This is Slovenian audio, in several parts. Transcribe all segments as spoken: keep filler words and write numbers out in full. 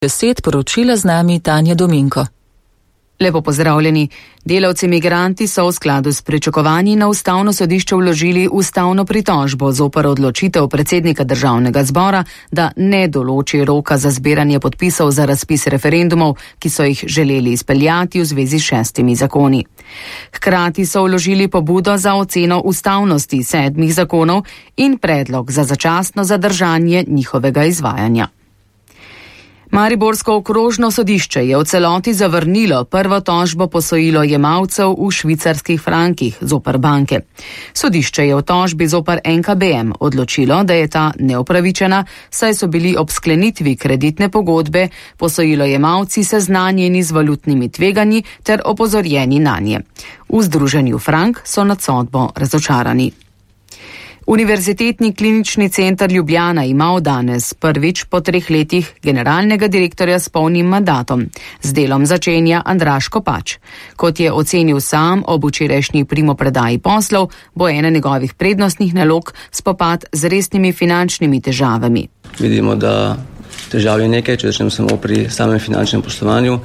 Deset poročila z nami Tanja Dominko. Lepo pozdravljeni. Delavci migranti so v skladu s pričakovanji na ustavno sodišče vložili ustavno pritožbo zoper odločitev predsednika državnega zbora, da ne določi roka za zbiranje podpisov za razpis referendumov, ki so jih želeli izpeljati v zvezi s šestimi zakoni. Hkrati so vložili pobudo za oceno ustavnosti sedmih zakonov in predlog za začasno zadržanje njihovega izvajanja. Mariborsko okrožno sodišče je v celoti zavrnilo prvo tožbo posojilojemalcev v švicarskih frankih zoper banke. Sodišče je v tožbi zoper N K B M odločilo, da je ta neupravičena, saj so bili ob sklenitvi kreditne pogodbe posojilojemalci seznanjeni z valutnimi tveganji ter opozorjeni nanje. V združenju Frank so nad sodbo razočarani. Univerzitetni klinični center Ljubljana ima od danes prvič po treh letih generalnega direktorja s polnim mandatom. Z delom začenja Andraž Kopač. Kot je ocenil sam ob včerajšnji primopredaji poslov, bo ena njegovih prednostnih nalog spopad z resnimi finančnimi težavami. Vidimo, da težav je nekaj, če začnemo samo pri samem finančnem poslovanju,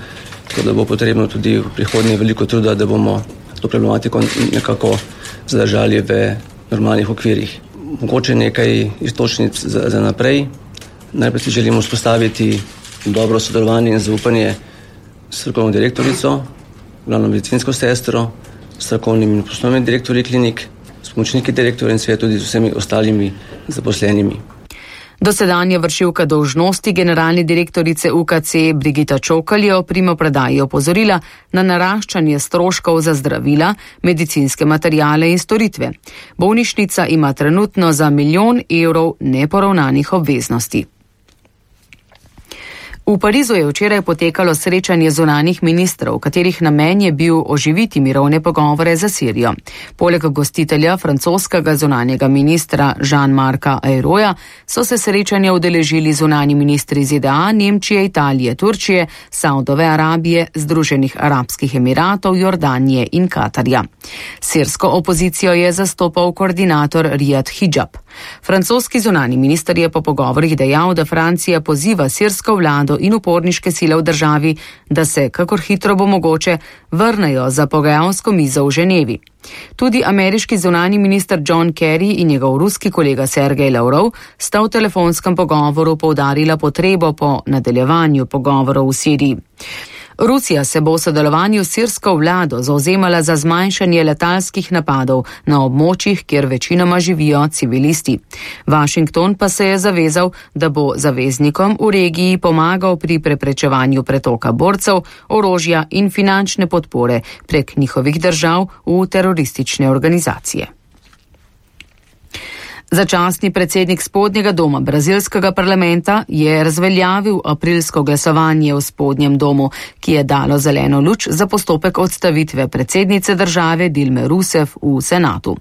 tako da bo potrebno tudi v prihodnje veliko truda, da bomo to problematiko nekako zadržali v normalnih okvirih. Mogoče nekaj istočnic za, za naprej. Najprej si želimo vzpostaviti dobro sodelovanje in zaupanje s strokovno direktorico, glavno medicinsko sestro, strokovnimi in poslovnimi direktorji klinik, s pomočniki direktorja in seveda tudi z vsemi ostalimi zaposlenimi. Dosedanja vršilka dolžnosti generalne direktorice U K C Brigita Čokl je o primopredaji opozorila na naraščanje stroškov za zdravila, medicinske materijale in storitve. Bolnišnica ima trenutno za milijon evrov neporavnanih obveznosti. V Parizu je včeraj potekalo srečanje zunanjih ministrov, katerih namen je bil oživiti mirovne pogovore za Sirijo. Poleg gostitelja francoskega zunanjega ministra Jean-Marca Ayroja so se srečanja udeležili zunanji ministri Z D A, Nemčije, Italije, Turčije, Saudove Arabije, Združenih arabskih emiratov, Jordanije in Katarja. Sirsko opozicijo je zastopal koordinator Riyad Hijab. Francoski zunanji minister je po pogovorih dejal, da Francija poziva sirsko vlado in uporniške sile v državi, da se, kakor hitro bo mogoče, vrnejo za pogajalsko mizo v Ženevi. Tudi ameriški zunanji minister John Kerry in njegov ruski kolega Sergej Lavrov sta v telefonskem pogovoru poudarila potrebo po nadaljevanju pogovorov v Siriji. Rusija se bo v sodelovanju s sirsko vlado zauzemala za zmanjšanje letalskih napadov na območjih, kjer večinoma živijo civilisti. Washington pa se je zavezal, da bo zaveznikom v regiji pomagal pri preprečevanju pretoka borcev, orožja in finančne podpore prek njihovih držav v teroristične organizacije. Začasni predsednik spodnjega doma brazilskega parlamenta je razveljavil aprilsko glasovanje v spodnjem domu, ki je dalo zeleno luč za postopek odstavitve predsednice države Dilme Rousseff v senatu.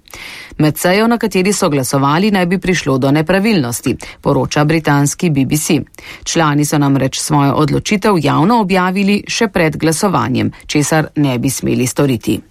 Med sejo, na kateri so glasovali, naj bi prišlo do nepravilnosti, poroča britanski B B C. Člani so namreč svojo odločitev javno objavili še pred glasovanjem, česar ne bi smeli storiti.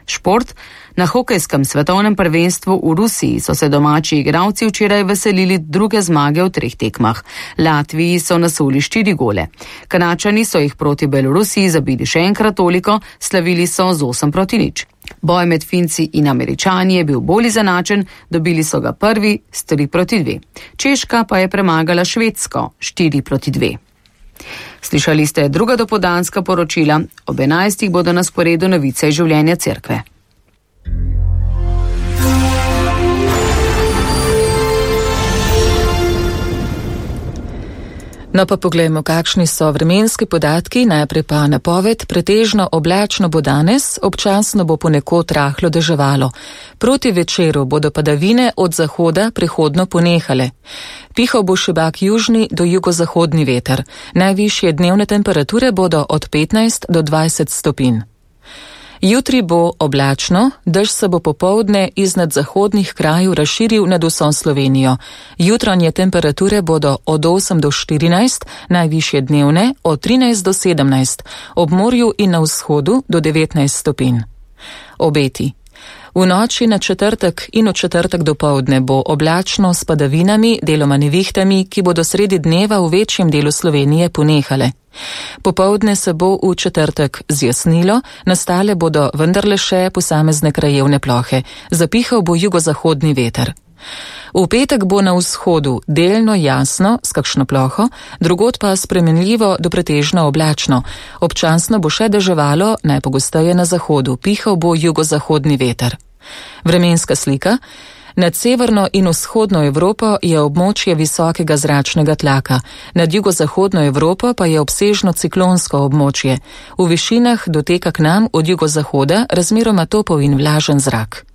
Šport. Na hokejskem svetovnem prvenstvu v Rusiji so se domači igralci včeraj veselili druge zmage v treh tekmah. Latviji so nasuli štiri gole. Kanačani so jih proti Belorusiji zabili še enkrat toliko, slavili so z osem proti nič. Boj med Finci in Američani je bil bolj izenačen, dobili so ga prvi s tri proti dve. Češka pa je premagala Švedsko štiri proti dve. Slišali ste druga dopoldanska poročila, ob enajstih bodo na sporedu novice iz življenja cerkve. No pa poglejmo, kakšni so vremenski podatki, najprej pa napoved. Pretežno oblačno bo danes, občasno bo ponekod rahlo deževalo. Proti večeru bodo padavine od zahoda prehodno ponehale. Pihal bo šibak južni do jugozahodni veter. Najvišje dnevne temperature bodo od petnajst do dvajset stopinj. Jutri bo oblačno, dež se bo popoldne iznad zahodnih krajev razširil nad vso Slovenijo. Jutranje temperature bodo od osem do štirinajst, najvišje dnevne od trinajst do sedemnajst, ob morju in na vzhodu do devetnajst stopinj. Obeti. V noči na četrtek in v četrtek dopoldne bo oblačno s padavinami, deloma nevihtami, ki bodo sredi dneva v večjem delu Slovenije ponehale. Popoldne se bo v četrtek zjasnilo, nastale bodo vendarle še posamezne krajevne plohe. Zapihal bo jugozahodni veter. V petek bo na vzhodu delno jasno s kakšno ploho, drugod pa spremenljivo do pretežno oblačno. Občasno bo še deževalo, najpogosteje na zahodu, pihal bo jugozahodni veter. Vremenska slika. Nad severno in vzhodno Evropo je območje visokega zračnega tlaka, nad jugozahodno Evropo pa je obsežno ciklonsko območje. V višinah doteka k nam od jugozahoda razmeroma topel in vlažen zrak.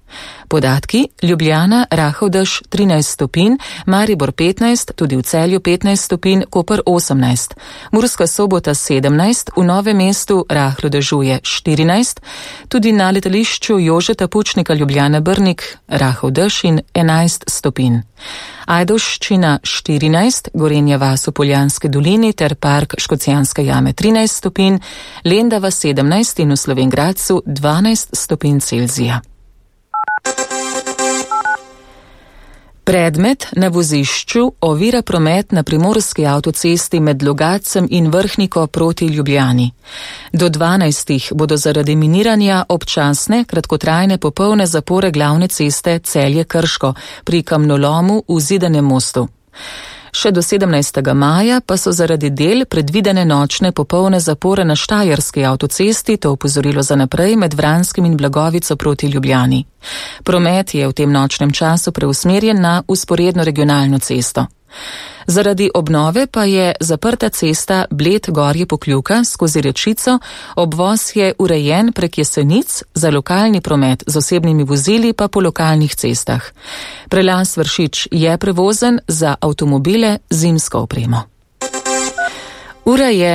Podatki: Ljubljana, rahel dež trinajst stopinj, Maribor petnajst, tudi v Celju petnajst stopinj, Koper osemnajst, Murska Sobota sedemnajst, v Novem mestu rahlo dežuje štirinajst, tudi na letališču Jožeta Pučnika Ljubljana Brnik rahel dež in enajst stopinj. Ajdovščina štirinajst, Gorenja vas v Poljanski dolini ter park Škocjanske jame trinajst stopinj, Lendava sedemnajst in v Slovenj Gradcu dvanajst stopinj Celzija. Predmet na vozišču ovira promet na primorski avtocesti med Logatcem in Vrhniko proti Ljubljani. Do dvanajstih bodo zaradi miniranja občasne, kratkotrajne popolne zapore glavne ceste Celje-Krško pri kamnolomu v Zidanem mostu. Še do sedemnajstega maja pa so zaradi del predvidene nočne popolne zapore na Štajerski avtocesti, to opozorilo za naprej med Vranskim in Blagovico proti Ljubljani. Promet je v tem nočnem času preusmerjen na vzporedno regionalno cesto. Zaradi obnove pa je zaprta cesta Bled-Gorje Pokljuka skozi Rečico, obvoz je urejen prek Jesenic, za lokalni promet z osebnimi vozili pa po lokalnih cestah. Prelaz Vršič je prevozen za avtomobile z zimsko opremo. Ura je